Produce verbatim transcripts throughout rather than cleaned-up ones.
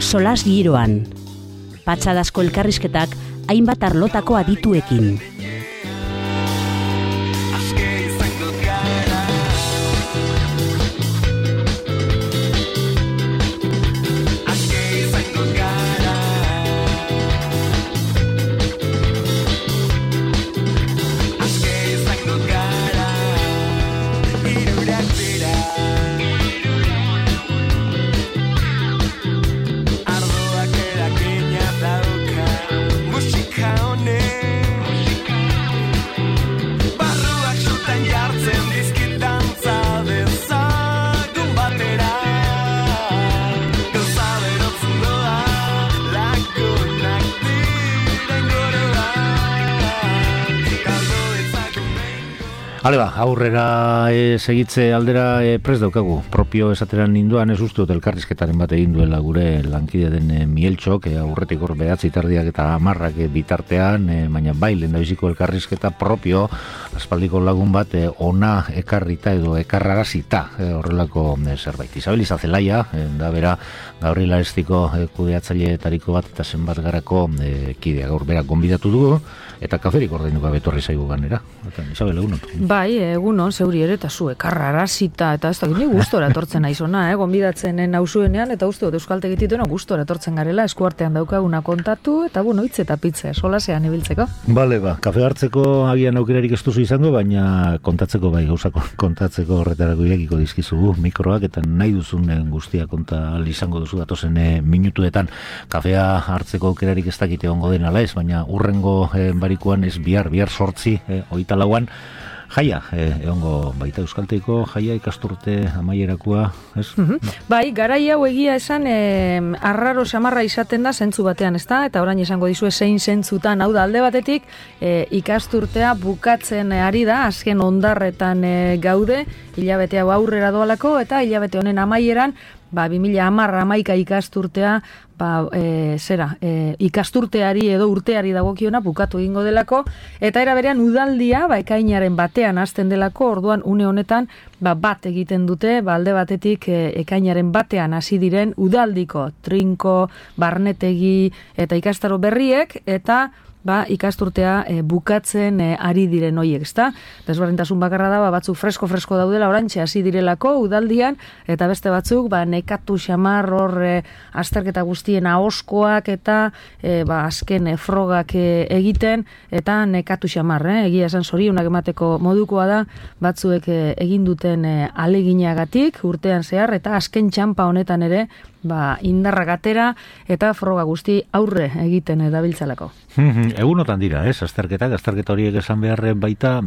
Solas giroan, patxadazko elkarrizketak hainbat arlotako adituekin. Hale ba, aurrera e, segitze aldera e, prest daukagu. Propio esateran ninduan ez uste dut elkarrizketaren bat egin duela gure lankide den e, Mieltxok, e, aurretik hor behatzi tardiak eta hamarrak e, bitartean, e, baina bai, lehendabiziko elkarrizketa propio, aspaldiko lagun bat, e, ona ekarrita edo ekarrarazita e, horrelako e, zerbait. Isabel Izazelaia, e, da bera, Gabriela Estiko e, kudeatzaileetariko bat eta zenbat garako e, kidea gaur berak gonbidatu dugu, eta kaferik ordeinuka betorri zaigu ganera. Eta, Isabel, egunon. Bai, egunon, zeuri ere, eta zu, ekarrarazita, eta ez da, ni gustora etortzen naizona, eh? Gonbidatzen nauzuenean, eta uste dut euskaltegitituen gustora etortzen garela, eskuartean daukaguna kontatu, eta bueno, hitz eta pitze, solasean ibiltzeko. Bale, ba, kafe hartzeko agian aukerarik ez duzu izango, baina kontatzeko bai, gauzako kontatzeko horretarako irekiko dizkizugu mikroak, eta nahi duzun guztia konta izango duzu datozen e, minutuetan. Kafea hartzeko aukerarik ez dakite ongo den ala ez, baina urrengo e, barikuan ez bihar, bihar sortzi, e, oita lauan, jaia, eh, egongo baita euskalteiko jaia ikasturte amaierakoa, ez? Mm-hmm. Bai, garai hau egia esan eh, arraro samarra izaten da zentzu batean, ezta? Eta orain esango dizue zein zentzutan, hau da alde batetik eh, ikasturtea bukatzen ari da, azken ondarretan eh, gaude, hilabete hau aurrera doalako, eta hilabete honen amaieran, ba, bi mila hamar hamaika ikasturtea, ba, e, zera, e, ikasturteari edo urteari dagokiona bukatu egingo delako, eta era berean udaldia, ba, ekainaren batean hasten delako, orduan une honetan, ba, bat egiten dute, ba, alde batetik e, ekainaren batean hasi diren udaldiko, trinko, barnetegi eta ikastaro berriek, eta ba, ikasturtea e, bukatzen e, ari diren hoiek, ezta? Desberdintasun bakarra da, ba, batzuk fresko-fresko daudela orantxe hasi direlako udaldian, eta beste batzuk, ba, nekatu xamar hor e, azterketa guztien ahoskoak eta e, ba, azken e, frogak e, egiten, eta nekatu xamar, eh? Egia esan zorionak emateko modukoa da, batzuek e, egin duten e, aleginagatik urtean zehar, eta azken txampa honetan ere, ba, indarrak atera eta froga guzti aurre egiten dabiltzalako. Egunotan dira, ez? Azterketak, azterketa horiek esan beharren baita,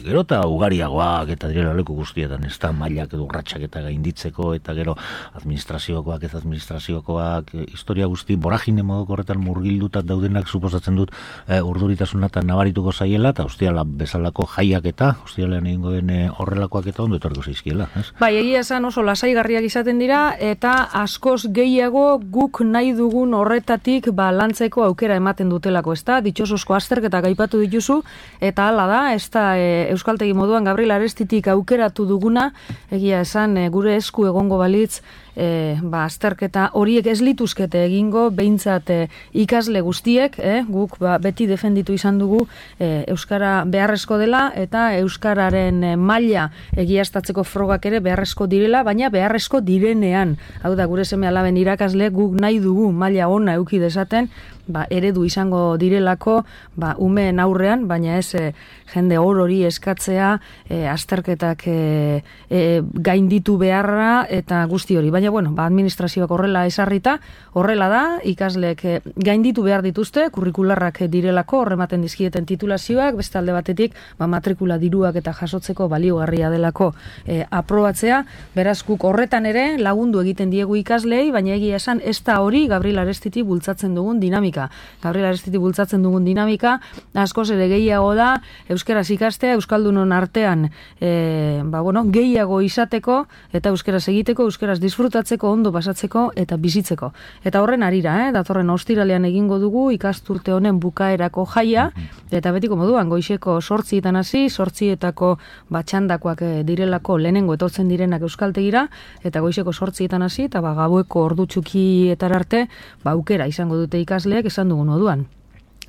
gero eta ugariagoak eta direla leku guztietan, ez da mailak edo urratxak eta gainditzeko, eta gero administraziokoak ez administraziokoak, historia guzti boragine modoko horretan murgildutat daudenak suposatzen dut e, urduritasuna eta nabarituko zaiela, eta ustiala bezalako jaiak eta, ustialean egingo den e, horrelakoak eta ondo etorriko zaizkiela, ez? Bai, egia esan oso lasaigarriak izaten dira, eta askoz gehiago guk nahi dugun horretatik ba, lantzeko aukera ematen dutelako, ez da, ditxosozko azterketak aipatu dituzu, eta hala da, ez da, e, euskaltegi moduan Gabriela Arestitik aukeratu duguna, egia esan, e, gure esku egongo balitz, E, ba, azterketa horiek ez lituzkete egingo, behintzat e, ikasle guztiek, eh, guk ba, beti defenditu izan dugu e, Euskara beharrezko dela, eta Euskararen e, maila egiaztatzeko frogak ere beharrezko direla, baina beharrezko direnean, hau da, gure seme alaben irakasle guk nahi dugu maila ona eduki dezaten, ba, eredu izango direlako ba, umeen aurrean, baina ez e, jende hor hori eskatzea e, azterketak e, e, gainditu beharra eta guzti hori, baina baina bueno, ba, administrazioak horrela esarrita, horrela da, ikasleek gainditu behar dituzte, kurrikularrak direlako, horrematen dizkieten titulazioak, beste alde batetik, ba, matrikula diruak eta jasotzeko baliogarria delako e, aprobatzea, beraz guk horretan ere lagundu egiten diegu ikaslei, baina egia esan ez da hori Gabriel Arestiti bultzatzen dugun dinamika. Gabriel Arestiti bultzatzen dugun dinamika, askoz ere gehiago da, euskaraz ikastea, euskaldunon artean e, ba, bueno, gehiago izateko, eta euskaraz egiteko, euskaraz disfrutatzeko, ondo pasatzeko eta bizitzeko. Eta horren arira, eh, datorren ostiralean egingo dugu ikasturte honen bukaerako jaia, eta betiko moduan, goizeko sortzietan hasi, sortzietako batxandakoak direlako lehenengo etortzen direnak euskaltegira, eta goizeko sortzietan hasi, eta ba, gaueko ordu txukietar arte, ba, aukera izango dute ikasleek esan dugun moduan.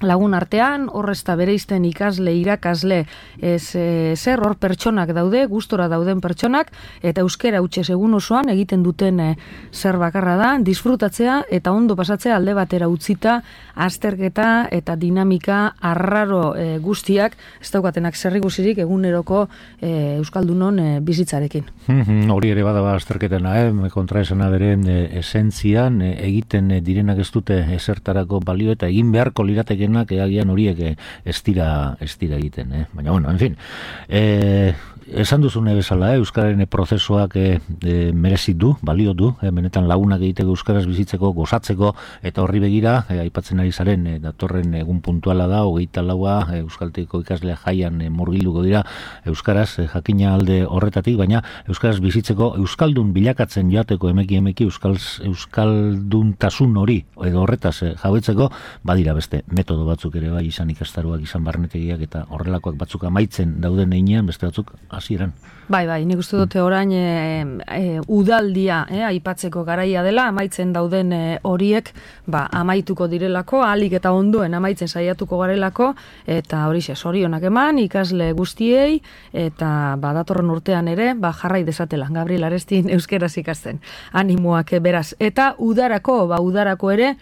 Lagun artean, horrezta bereizten ikasle, irakasle, ez e, zer hor pertsonak daude, gustora dauden pertsonak, eta euskera utxez egun osoan egiten duten e, zer bakarra da, disfrutatzea eta ondo pasatzea alde batera utzita, azterketa eta dinamika arraro e, guztiak, ez daukatenak zerrikusirik eguneroko e, euskaldunon e, bizitzarekin. Hori ere badaba azterketena, eh? kontraesana beren e, esentzian e, egiten e, direnak ez dute ezertarako balio eta egin beharko lirateke agian horiek ez dira, ez dira egiten, eh? Baina, bueno, en fin, eh, esan duzune bezala, eh? Euskararen prozesuak eh, eh, merezi du, balio du, eh? Benetan lagunak egiteko euskaraz bizitzeko, gozatzeko, eta horri begira, eh, aipatzen ari zaren, eh, datorren egun puntuala da, hogeita laua, eh, euskalteko ikaslea jaian eh, murgilduko dira, euskaraz, eh, jakina alde horretatik, baina euskaraz bizitzeko, euskaldun bilakatzen joateko emeki emeki, euskals, euskalduntasun hori, edo horretaz eh, jabetzeko, badira beste metodo batzuk ere bai, izan ikastaroak, izan barnetegiak, eta horrelakoak batzuk amaitzen dauden einean, beste batzuk hasieran. Bai, bai, nik uste dute orain e, e, udaldia e, aipatzeko garaia dela, amaitzen dauden e, horiek ba, amaituko direlako, ahalik eta ondoen amaitzen saiatuko garelako, eta hori xe, zorionak eman, ikasle guztiei, eta ba, datorren urtean ere, ba, jarrai desatela, Gabriel Arestin euskeraz ikasten, animoak beraz, eta udarako, ba, udarako ere,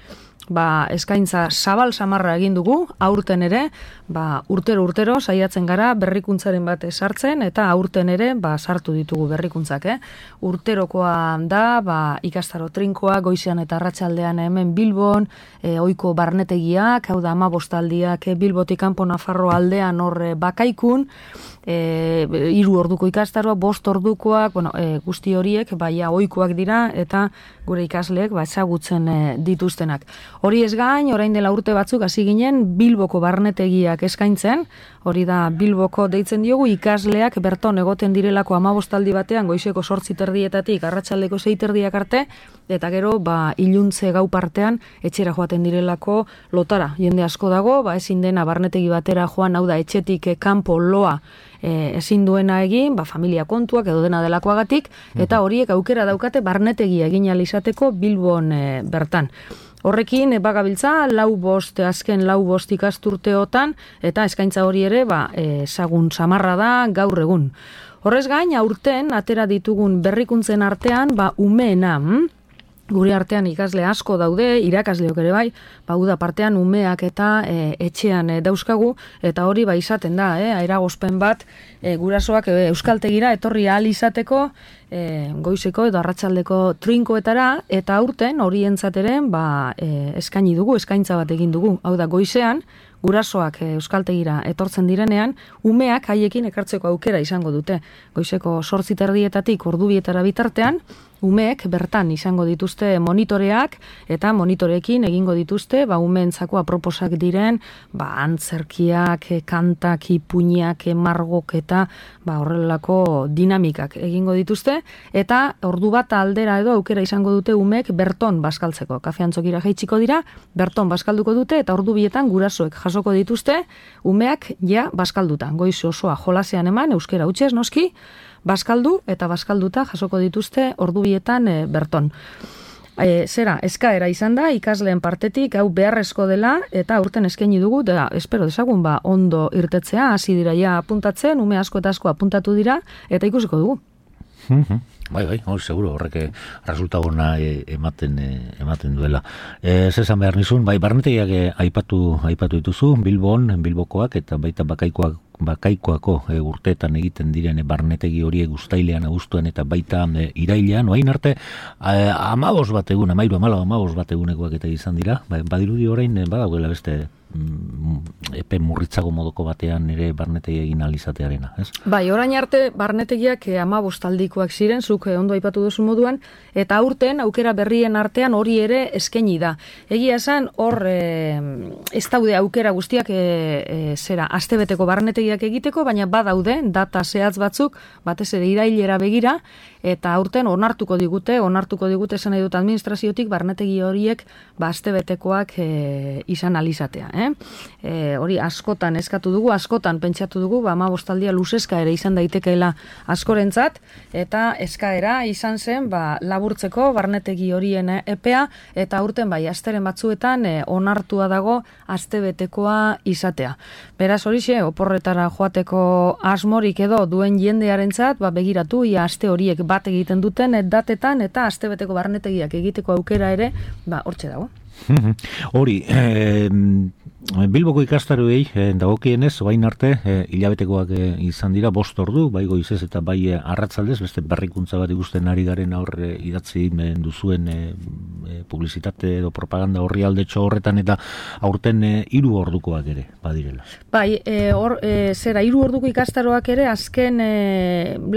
ba, eskaintza zabal samarra egin dugu, aurten ere, ba, urtero urtero saiatzen gara berrikuntzaren bat sartzen, eta aurten ere ba, sartu ditugu berrikuntzak. Eh? Urterokoa da, ba, ikastaro trinkoa, goizean eta arratsaldean hemen Bilbon, e, ohiko barnetegiak, hau da amabostaldiak e, Bilbotik kanpo Nafarro aldean hor bakaikun, e, hiru orduko ikastaroa, bost ordukoak, bueno, e, guzti horiek, baia ohikoak dira, eta gure ikasleek ba, ezagutzen e, dituztenak. Hori ez gain, orain dela urte batzuk hasi ginen Bilboko barnetegiak eskaintzen, hori da Bilboko deitzen diogu ikasleak berton egoten direlako amabostaldi batean goizeko sortzi terdietatik arratsaldeko sei terdiak arte, eta gero ba, iluntze gau partean etxera joaten direlako lotara. Jende asko dago, ba, ezin dena barnetegi batera joan, hau da etxetik kanpo loa e, ezin duena egin, ba, familia kontuak edo dena delakoagatik, eta horiek aukera daukate barnetegia egin ahal izateko Bilbon e, bertan. Horrekin, bagabiltza, lau bost, azken lau bost ikasturteotan, eta eskaintza hori ere, ba, ezagun samarra da gaur egun. Horrez gain, aurten, atera ditugun berrikuntzen artean, ba, umeena, hm? Gure artean ikasle asko daude, irakasleok ere bai, ba, uda partean umeak eta e, etxean e, dauzkagu, eta hori ba izaten da, eh, eragozpen bat, e, gurasoak e, euskaltegira etorri ahal izateko, e, goizeko edo arratsaldeko trinkoetara, eta aurten horientzateren ba, e, eskaini dugu, eskaintza bat egin dugu, hau da goizean, gurasoak euskaltegira etortzen direnean, umeak haiekin ekartzeko aukera izango dute. Goizeko zortzi terdietatik ordubietara bitartean, umeek bertan izango dituzte monitoreak, eta monitoreekin egingo dituzte, ba, umeentzako aproposak diren, ba, antzerkiak, kantak, ipuinak, margok eta ba, horrelako dinamikak egingo dituzte, eta ordu bat aldera edo aukera izango dute umeek berton bazkaltzeko. Kafeantzokira jaitsiko dira, berton bazkalduko dute, eta ordu bietan gurasoek jasoko dituzte, umeak ja bazkalduta. Goiz osoa jolasean eman, euskera hutsez noski, bazkaldu eta bazkalduta jasoko dituzte ordubietan e, berton. E, zera, eskaera izan da, ikasleen partetik, hau beharrezko dela, eta aurten eskaini dugu, da, espero dezagun, ba, ondo irtetzea, hasi dira ja apuntatzen, ume asko eta asko apuntatu dira, eta ikusiko dugu. Bai, bai, hori seguro, horrek resultagona e, ematen e, ematen duela. Ez esan behar nizun, bai, barnetegiak e, aipatu, aipatu dituzu, Bilbon, Bilbokoak, eta baita bakaikoak bakaikoako e, urteetan egiten diren e, barnetegi horiek uztailean, abuztuan eta baita e, irailean, oain arte e, amabos bat egun, amairu amala amabos bat egunekoak eta izan dira, ba, badirudi orain e, badagoela beste epe murritzago modoko batean ere barnetegi egin alizatearena, ez? Bai, orain arte barnetegiak eh, amabostaldikoak ziren, zuk eh, ondo aipatu duzu moduan, eta aurten aukera berrien artean hori ere eskaini da. Egia esan, hor eh, ez daude aukera guztiak eh, eh, zera, astebeteko barnetegiak egiteko, baina badaude data zehatz batzuk, batez ere irailera begira, eta aurten onartuko digute, onartuko digute esan nahi dut administraziotik barnetegi horiek ba astebetekoak eh, izan alizatea, eh? E, hori askotan eskatu dugu, askotan pentsatu dugu, ba hamabostaldia luzeska ere izan daitekeela askorentzat, eta eskaera izan zen ba laburtzeko barnetegi horien epea, eta aurten bai asteren batzuetan e, onartua dago astebetekoa izatea. Beraz horixe, oporretara joateko asmorik edo duen jendearentzat, ba begiratu ia aste horiek bat egiten duten et datetan eta astebeteko barnetegiak egiteko aukera ere, ba hortxe dago. Hori, eh, Bilboko ikastaroei eh, dagokienez, orain arte eh, hilabetekoak eh, izan dira bost ordu, bai goizez eta bai eh, arratzaldez, beste berrikuntza bat ikusten ari garen aurre idatzi eh, duzuen eh, eh, publizitate edo propaganda horri aldetxo horretan, eta aurten eh, hiru ordukoak ere badirela. Bai, e, or, e, zera, hiru orduko ikastaroak ere azken e,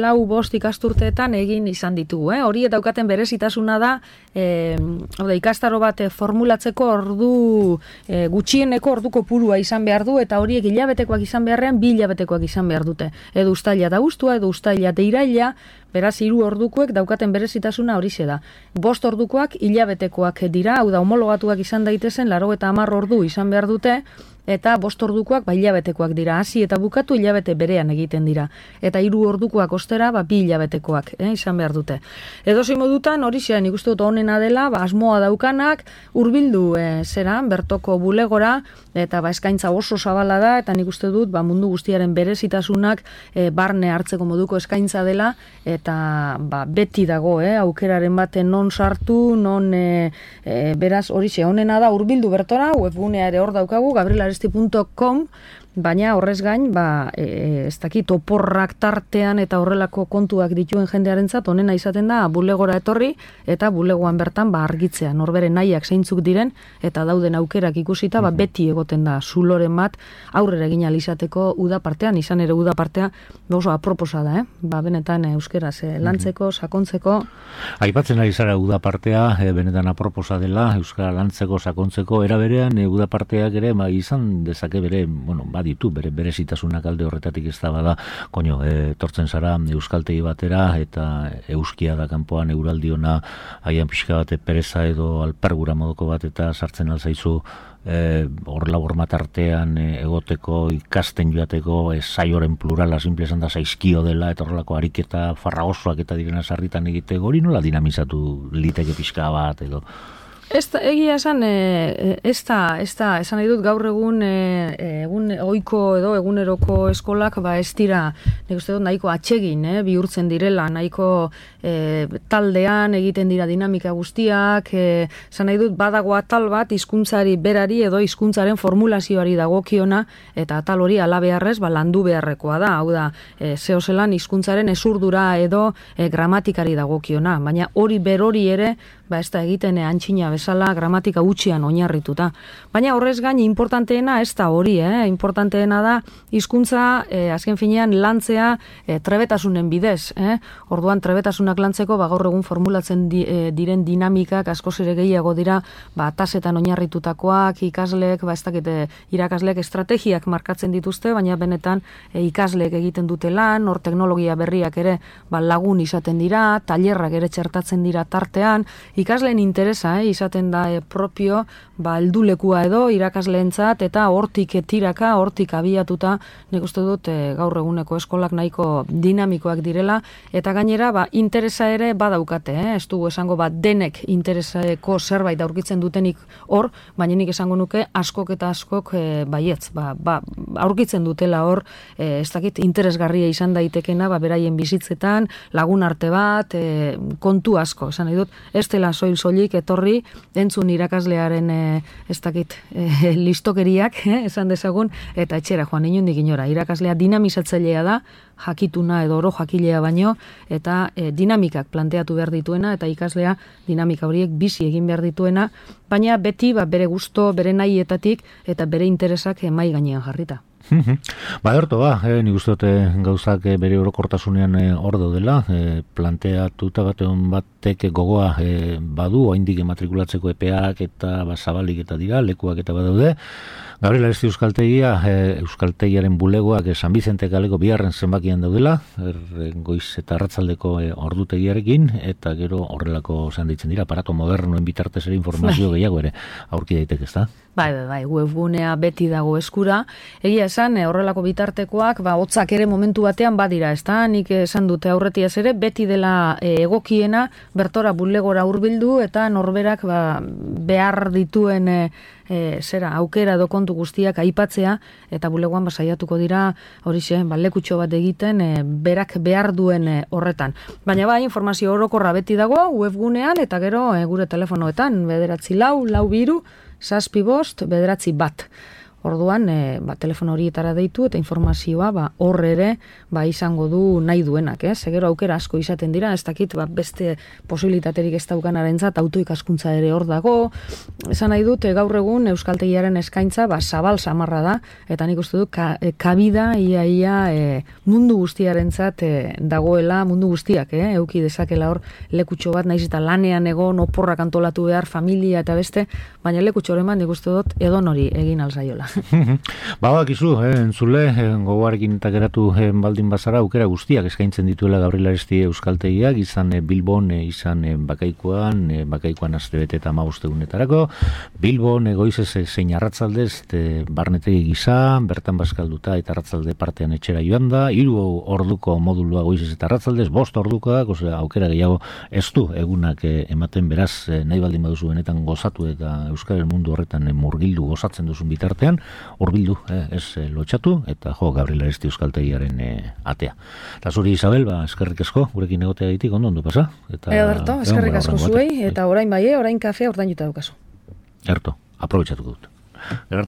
lau bost ikasturteetan egin izan ditugu. Eh? Hori eta daukaten berezitasuna da, e, ode, ikastaro bat e, formulatzeko ordu e, gutxieneko orduko purua izan behar du, eta horiek hilabetekoak izan beharrean bi hilabetekoak izan behar dute. Edo uztaila da guztua, edo uztaila da iraila, beraz hiru ordukoek daukaten berezitasuna horixe da. Bost ordukoak hilabetekoak dira, hau da homologatuak izan daitezen, laro eta hamar ordu izan behar dute, eta bost ordukoak ba hilabetekoak dira, hasi eta bukatu hilabete berean egiten dira. Eta hiru ordukoak ostera ba bi hilabetekoak eh, izan behar dute. Edozein modutan hori nik uste dut honena dela, ba asmoa daukanak hurbildu eh, zera bertoko bulegora, eta ba eskaintza oso zabala da, eta nik uste dut ba mundu guztiaren berezitasunak eh, barne hartzeko moduko eskaintza dela, eta ba beti dago eh, aukeraren baten non sartu, non eh, eh, beraz hori honena da hurbildu bertora, webgunea ere hor daukagu, gabriel aresti punto com, baina horrez gain, ba, e, ez dakit, oporrak tartean eta horrelako kontuak dituen jendearentzat honena izaten da bulegora etorri, eta bulegoan bertan ba, argitzea, norbere nahiak zeintzuk diren, eta dauden aukerak ikusita, ba, beti egoten da zuloren bat aurrera egin alizateko uda partean, izan ere uda partea oso aproposa da, eh? Ba, benetan euskeraz eh, lantzeko, sakontzeko. Aipatzen ari zara uda partea, eh, benetan aproposa dela, euskara lantzeko, sakontzeko, era berean, eh, uda parteak ere, ba, izan dezake bere, bueno, ba, ditu, bere berezitasunak alde horretatik ez da bada, koño, e, tortzen zara euskaltegi batera, eta euskia da kanpoan euraldiona, haian pixka bate pereza edo alpergura modoko bat, eta sartzen alzaizu e, hor labor matartean e, egoteko, ikasten joateko, e, saioren plurala, simple esan da zaizkio dela, eta horrelako ariketa farragosoak eta direna sarritan egiteko, hori nola dinamizatu liteke pixka bat, edo? Ez da, egia esan, e, ez da, ez da, esan nahi dut gaur egun, e, egun ohiko edo eguneroko eskolak, ba ez dira, nik uste dut nahiko atsegin, eh, bihurtzen direla, nahiko e, taldean egiten dira dinamika guztiak, e, esan nahi dut badago atal bat hizkuntzari berari edo hizkuntzaren formulazioari dagokiona, eta atal hori alabeharrez, ba landu beharrekoa da, hau da, e, zehozelan hizkuntzaren esurdura edo e, gramatikari dagokiona, baina hori berori ere, ba ez da egiten antxina bezala gramatika gutxian oinarrituta. Baina horrez gain importanteena ez da hori, eh? Importanteena da hizkuntza eh, azken finean lantzea eh, trebetasunen bidez. Eh? Orduan trebetasunak lantzeko ba, gaur egun formulatzen di, eh, diren dinamikak askoz ere gehiago dira ba, tasetan oinarritutakoak, ikasleek, ba, ez dakite, irakasleek estrategiak markatzen dituzte, baina benetan eh, ikasleek egiten dute lan, hor teknologia berriak ere ba, lagun izaten dira, tailerrak ere txertatzen dira tartean, ikasleen interesa eh, izaten da eh, propio ba, eldulekua edo irakasleentzat, eta hortik tiraka, hortik abiatuta, nik uste dut eh, gaur eguneko eskolak nahiko dinamikoak direla, eta gainera ba, interesa ere badaukate, eh? Ez dugu esango bat denek intereseko zerbait aurkitzen dutenik hor, baina nik esango nuke askok eta askok eh, baietz, ba, ba, aurkitzen dutela hor, eh, ez dakit interesgarria izan daitekena, ba, beraien bizitzetan, lagun arte bat, eh, kontu asko, esan nahi dut, ez dela soil soilik etorri entzun irakaslearen e, ez dakit e, listokeriak, eh, esan dezagun, eta etxera joan inundik inora. Irakaslea dinamizatzailea da, jakituna edo oro jakilea baino, eta e, dinamikak planteatu behar dituena, eta ikaslea dinamika horiek bizi egin behar dituena, baina beti ba, bere gusto, bere nahietatik, eta bere interesak e, mai gainean jarrita. Ba, erto, ba, eh, nik uste dute gauzak eh, bere orokortasunean eh, hor daudela, eh, planteatuta batean batek gogoa eh, badu, oindik ematrikulatzeko epeak eta ba, zabalik eta dira, lekuak eta badaude. Gabriel Aresti Euskaltegia, eh, Euskaltegiaren bulegoak eh, San Bizente kaleko biharren zenbakian daudela, er, goiz eta arratzaldeko eh, ordutegiarekin, eta gero horrelako zean ditzen dira, aparato modernoen bitartez ere informazio gehiago ere aurki daiteke, ezta? Bai, bai, bai, webgunea beti dago eskura. Egia esan, horrelako bitartekoak, ba, hotzak ere momentu batean badira, ezta? Nik esan dute aurretiaz ere, beti dela e, egokiena, bertora bulegora hurbildu eta norberak ba, behar dituen e, e, zera, aukera edo kontu guztiak aipatzea, eta bulegoan ba, saiatuko dira horixe, ba, lekutxo bat egiten, e, berak behar duen e, horretan. Baina bai, informazio orokorra beti dago, webgunean, eta gero e, gure telefonoetan, bederatzi lau, lau biru, zazpi bost, bederatzi bat. Orduan, e, ba, telefono horietara deitu eta informazioa ba, hor ere ba, izango du nahi duenak. Eh? Segero aukera asko izaten dira, ez dakit ba, beste posibilitaterik ez daukanarentzat autoikaskuntza ere hor dago. Esan nahi dut, e, gaur egun Euskaltegiaren eskaintza ba, zabal samarra da, eta nik uste dut ka, e, kabida ia ia e, mundu guztiarentzat e, dagoela, mundu guztiak, eh? Euki dezakela hor lekutxo bat, naiz eta lanean egon, oporrak antolatu behar, familia eta beste, baina lekutxo horreman nik uste dut edonori egin alzaiola. Ba, bakizu, eh, entzule, eh, gogoarekin eta geratu eh, baldin bazara, aukera guztiak eskaintzen dituela Gabriel Aresti Euskaltegiak, izan eh, Bilbon, eh, izan eh, Bakaikoan, eh, Bakaikoan astebete eta hamabostegunetarako, Bilbon, egoizez eh, zein arratzaldez, eh, barnetegi gisa, bertan bazkalduta eta arratzalde partean etxera joan da, hiru orduko modulua goizez eta arratzaldez, bost ordukoak, osea, aukera gehiago ez du egunak eh, ematen beraz, eh, nahi baldin baduzu benetan gozatu eta Euskal mundu horretan eh, murgildu gozatzen duzun bitartean, hurbildu, eh, ez eh, lotxatu, eta jo, Gabriel Aresti Euskaltegiaren eh, atea. Eta zuri, Isabel, ba, eskerrik asko, gurekin egotea ditik, ondo ondo pasa? Eta, Ederto, eskerrik asko zuei, eta orain bai, orain kafea ordainduta daukazu. Erto, aprobetxatuko dut.